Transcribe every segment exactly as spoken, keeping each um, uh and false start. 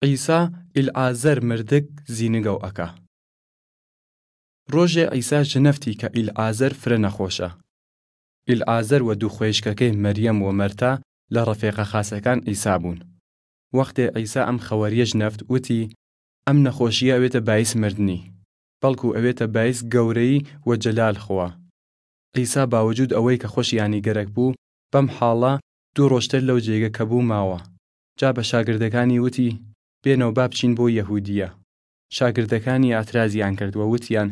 عیسا ئیلعازەر مردگ زینگەو ئەکا. روژێ عیسا ژنەفتی کە ئیلعازەر فرە نەخوەشە. ئیلعازەر و دو خوەیشکەکەی مەریەم و مەرتا لە رەفێقە خاسەکان عیسا بوون. وەختێ عیسا ئەم خەوەریە ژنەفت، وتی، ئەم نەخوەشیە ئەوێتە بایس مردنی، بەڵکو ئەوێتە بایس گەورەیی و جەلال خوا. عیسا باوجود ئەوەی کە خوەشیانی گەرەک بوو، بەم حاڵە دو روژتر لەو جێگە کە بوو ماوە. جا بە شاگردەکانی وتی، بێنەو با بچین بۆ یەهودیە. شاگردەکانی ئاترازیان کرد و وتیان،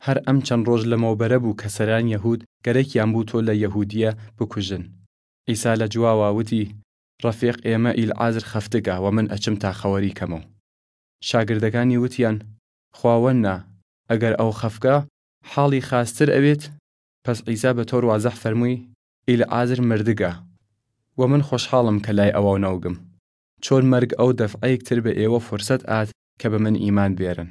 هەر ئەم چەن روژ لەمەوبەرە بوو کە سەران یەهود گەرەکیان بوو تۆ لە یەهودیە بکوژن. عیسا لە جواوا وتی، رەفیق ئێمە ئیلعازر خەفتگە و من ئەچم تا خەوەری کەمەو. شاگردەکانی وتیان، خواوەننا، ئەگەر ئەو خەفگە، حاڵی خاستر ئەوێت. پەس عیسا بە تۆر وازەح فەرموی، ئیلعازر مردگە، و من خوەشحاڵم کە لای ئەواو نەوگم، چۆن مەرگ ئەو دەفعەیکتر بە ئێوە فرسەت ئات کە بە من ئیمان بێرن.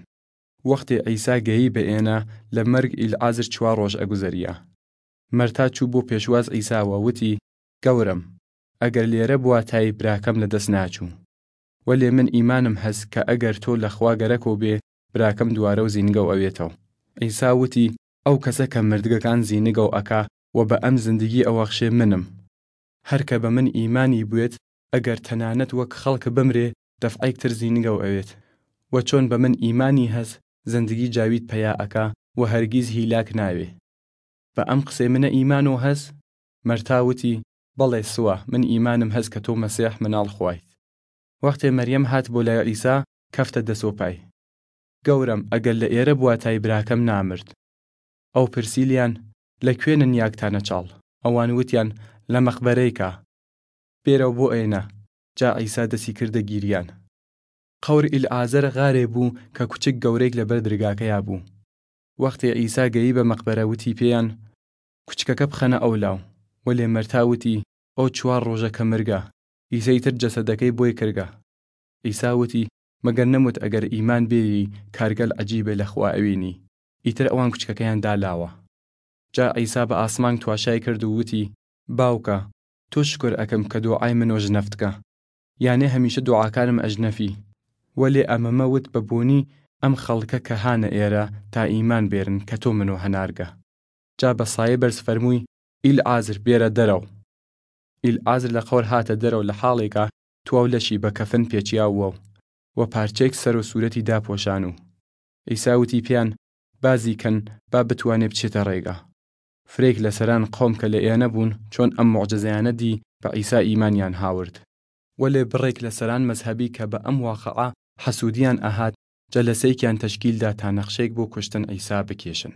وەختێ عیسا گەیی بە ئێنە، لە مەرگ ئیلعازر چوار روژ ئەگوزەریا. مەرتا چوو بۆ پێشواز عیسا و وتی، گەورەم، ئەگەر لێرە بواتای براکەم لە دەس ناچوو. وەلێ من ئیمانم هەس کە ئەگەر تۆ لە خوا گەرەکەو بێ، براکەم دوارەو زینگەو ئەوێتەو. عیسا وتی، ئەو کەسە کە مردگەکان زینگەو ئەکا و بە ئەم زندگی ئەوەخشێ منم. هەر کە بە من ئیمانی بوێت، ئەگەر تەنانەت وەک خەڵک بمرێ، دەفعەیکتر زینگەو ئەوێت. و چۆن بە من ئیمانی هەس، زندگی جاوید پەیا ئەکا و هەرگیز هیلاک ناوێ. بە ئەم قسەی منە ئیمانۆ هەس؟ مەرتا وتی، بەڵێ سوا، من ئیمانم هەس کە تۆ مەسیح مناڵ خوایت. وەختێ مەریەم هات بۆ لای عیسا، کەفتە دەس و پای. گەورەم، ئەگەر لە ئێرە بواتای براکەم نامرد. ئەو پرسیلیان، لە کوێ ننیاگتانە چاڵ؟ ئەوان وتیان، لە مەقبەرەیکا. بێرەو بۆ ئێنە. جا عیسا دەسی کردە گیریان. قەور ئیلعازەر غارێ بوو کە کوچک گەورەیگ لە بەر درگاکەیا بوو. وەختێ عیسا گەیی بە مەقبەرە وتی پێیان، کوچکەکە بخەنە ئەولاو. وەلێ مەرتا وتی، ئەو چوار روژە کە مرگە، ئیسە ئیتر جەسەدەکەی بوی کرگە. عیسا وتی، مەگەر نەموت ئەگەر ئیمان بێری کارگەل عەجیبێ لە خوا ئەوینی؟ ئیتر ئەوان کوچکەکەیان دالاوە. جا عیسا بە ئاسمان تواشای کرد و وتی، باوکە، تۆ شکر ئەکەم کە دوعای منۆ ژنەفتکە. یانێ هەمیشە دوعاکانم ئەژنەفی. وەلێ ئەمەمە وت بە بوونی ئەم خەڵکە کە هانە ئێرە تا ئیمان بێرن کە تۆ منۆ هەنارگە. جا بە سایە بەرز فەرموی، ئیلعازر، بێرە دەرەو. ئیلعازر لە قەور هاتە دەرەو لە حاڵێکا تواو لەشی بە کەفن پێچیاووەو، و پارچەیگ سەر و سوورەتی داپۆشان و. عیسا وتی پێیان، بازی کەن با بتوانێ بچێتە رێگا. فرەیگ لە سەران قەوم کە لە ئێنە بوون چۆن ئەم موعجزەیانە دی بە عیسا ئیمانیان هاورد. وەلێ بڕێگ لە سەران مەزهەبی کە بە ئەم واقعە حەسوودیان ئەهات، جەلەسەیکیان تەشکیل دا تا نەخشەیگ بۆ کوشتن عیسا بکێشن.